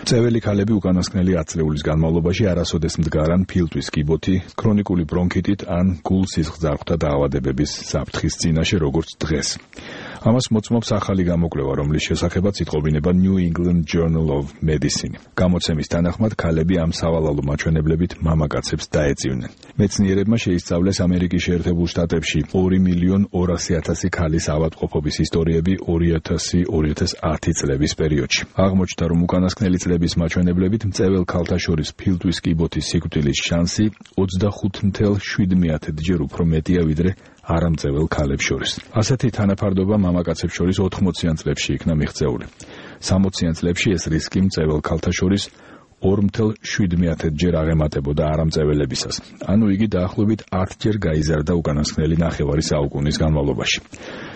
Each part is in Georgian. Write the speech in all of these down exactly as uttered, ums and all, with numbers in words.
წეველი ქალები უკანასკნელი ათ წლეულის განმავლობაში არასოდეს მდგარან ფილტვის კიბოთი, ქრონიკული ბრონქიტით ან გულ-სისხლძარღვთა დაავადებების საფრთხის წინაშე როგორც დღეს. Ამას მოწმობს ახალი გამოკვლევა, რომლის შესახებაც იტყობინება New England Journal of Medicine. გამოცემის თანახმად ქალები ამ სავალალო მაჩვენებლებით მამაკაცებს დაეწივნენ. მეცნიერებმა შეისწავლეს ამერიკის შეერთებულ შტატებში ორი მილიონ ორასი ათასი ქალის ავადმყოფობის ისტორიები ორი ათასი ორი ათას ათი წლების პერიოდში. აღმოჩნდა, რომ უკანასკნელი წლების მაჩვენებლებით მწეველ ქალთა შორის ფილტვის კიბოთის სიკვდილის შანსი ოცდახუთ ათას შვიდმეათჯერ უფრო მეტია ვიდრე არამწეველ ქალებს შორის. ასეთი თანაფარდობა მამაკაცებს შორის ოთხმოციან წლებში იქნა მიღწეული. სამოციან წლებში ეს რისკი მწეველ ქალთა შორის ორ ათას შვიდმეათჯერ აღემატებოდა არამწეველებისას. ანუ იგი დაახლოებით ათჯერ გაიზარდა უკანასკნელი ნახევარი საუკუნის განმავლობაში.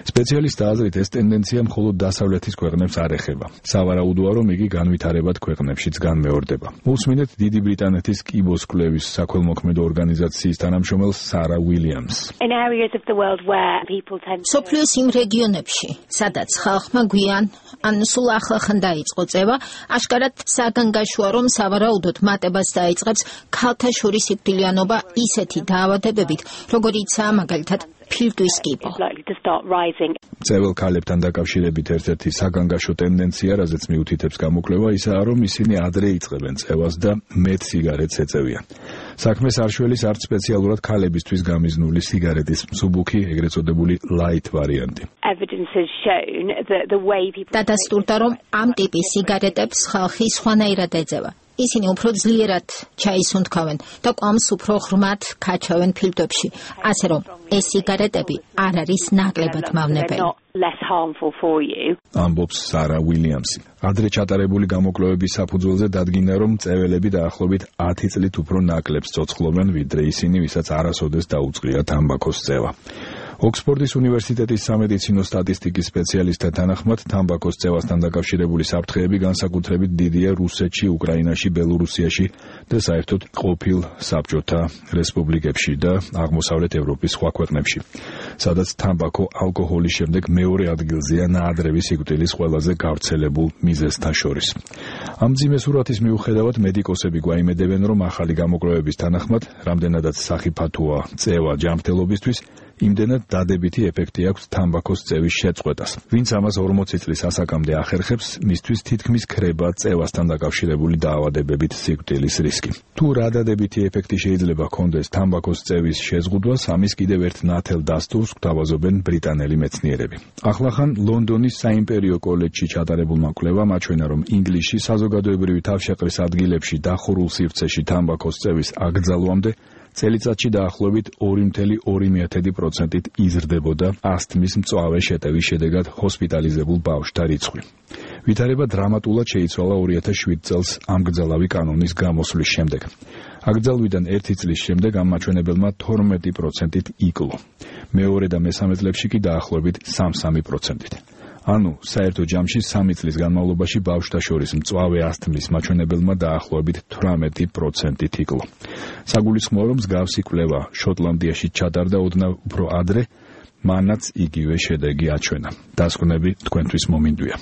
სპეციალისტთა აზრით ეს ტენდენცია მხოლოდ დასავლეთის ქვეყნებს არ ეხება. სავარაუდოა, რომ იგი განვითარებად ქვეყნებშიც განმეორდება. უსმინეთ დიდი ბრიტანეთის კიბოს კვლევის საქველმოქმედო ორგანიზაციის თანამშრომელ სარა უილიამს. სოფლიოს იმ რეგიონებში, სადაც ხალხმა გვიან ან სულ ახლახან დაიწყო წევა, აშკარად საგანგაშოა, რომ სავარაუდოდ მატებას დაიწყებს ქალთა შორის სიკვდილიანობა ისეთი დაავადებებით, როგორიცაა მაგალითად ფილტვის კიბო. წეվել ქალებთან დაკავშირებით ერთ-ერთი საგანგაშო ტენდენცია, რაზეც მიუთითებს გამოკვლევა, ისაა, რომ ისინი ადრე იწყებენ წევას და მეტ სიგარეტს ეწევიან. საქმეს არ შველის არც სპეციალურად ქალებისთვის გამიზნული სიგარეტის მსუბუქი, ეგრეთ წოდებული light ვარიანტი. დადასტურდა, რომ ამ ტიპის სიგარეტებს ხალხი სხვანაირად ეძება. ისინი უფრო ძლიერად ჩაისუნთქავენ და კვამს უფრო ღრმად ქაჩავენ ფილტვებში, ასე რომ ეს სიგარეტები არ არის ნაკლებად მავნებელი. ამბობს სარა უილიამსი. ადრე ჩატარებული გამოკვლევების საფუძველზე დადგინდა, რომ წეველები დაახლოებით ათი წლით უფრო ნაკლებს ცოცხლობენ, ვიდრე ისინი, ვისაც არასოდეს დაუწყია თამბაქოს წევა. ოქსფორდის უნივერსიტეტის სამედიცინო სტატისტიკის სპეციალისტთა თანახმად, თამბაქოს წევასთან დაკავშირებული საფრთხეები განსაკუთრებით დიდია რუსეთში, უკრაინაში, ბელორუსიაში და საერთოდ ყოფილ საბჭოთა რესპუბლიკებში და აღმოსავლეთ ევროპის სხვა ქვეყნებში, სადაც თამბაქო ალკოჰოლის შემდეგ მეორე ადგილზეა ნაადრევი სიკვდილის ყველაზე გავრცელებულ მიზეზთა შორის. ამ მძიმე სურათის მიუხედავად, მედიკოსები გვაიმედებენ, რომ ახალი გამოკვლევების თანახმად, რამდენადაც სახიფათოა წევა ჯანმრთელობისთვის, იმდენად დადებითი ეფექტი აქვს თამბაქოს წევის შეწყვეტას. ვინც ამას ორმოცი წლის ასაკამდე ახერხებს, მისთვის თითქმის ქრება წევასთან დაკავშირებული დაავადებებით სიკვდილის რისკი. თუ რა დადებითი ეფექტი შეიძლება ჰქონდეს თამბაქოს წევის შეზღუდვას, ამის კიდევ ერთ ნათელ დასტურს გვთავაზობენ ბრიტანელი მეცნიერები. ახლახან ლონდონის საიმპერიო კოლეჯში ჩატარებულმა კვლევამ აჩვენა, რომ ინგლისში საზოგადოებრივი თავშეყრის ადგილებში დახურულ სივრცეში თამბაქოს წევის აკრძალვამდე წელიწადში დაახლოებით ორი ათას ორი პროცენტით იზრდებოდა ასთმის მწვავე შეტევის შედეგად ჰოსპიტალიზებულ ბავშვთა რიცხვი. ვითარება დრამატულად შეიცვალა ორი ათას შვიდ წელს ამგზალავი კანონის გამოსვლის შემდეგ. აკრძალვიდან ერთი წლის შემდეგ ამ მაჩვენებელმა თორმეტი პროცენტით იკლო. მეორე და მესამე წლებში კი დაახლოებით სამი პროცენტით. ანუ საერთო ჯამში სამი წლის განმავლობაში ბავშვთა შორის მწვავე ასთმის მაჩვენებელმა დაახლოებით თვრამეტი პროცენტით იკლო. საგულისხმოა, რომ მსგავსი კვლევა შოტლანდიაში ჩატარდა ოდნავ უფრო ადრე, მანაც იგივე შედეგი აჩვენა. დასკვნები თქვენთვის მომინდვია.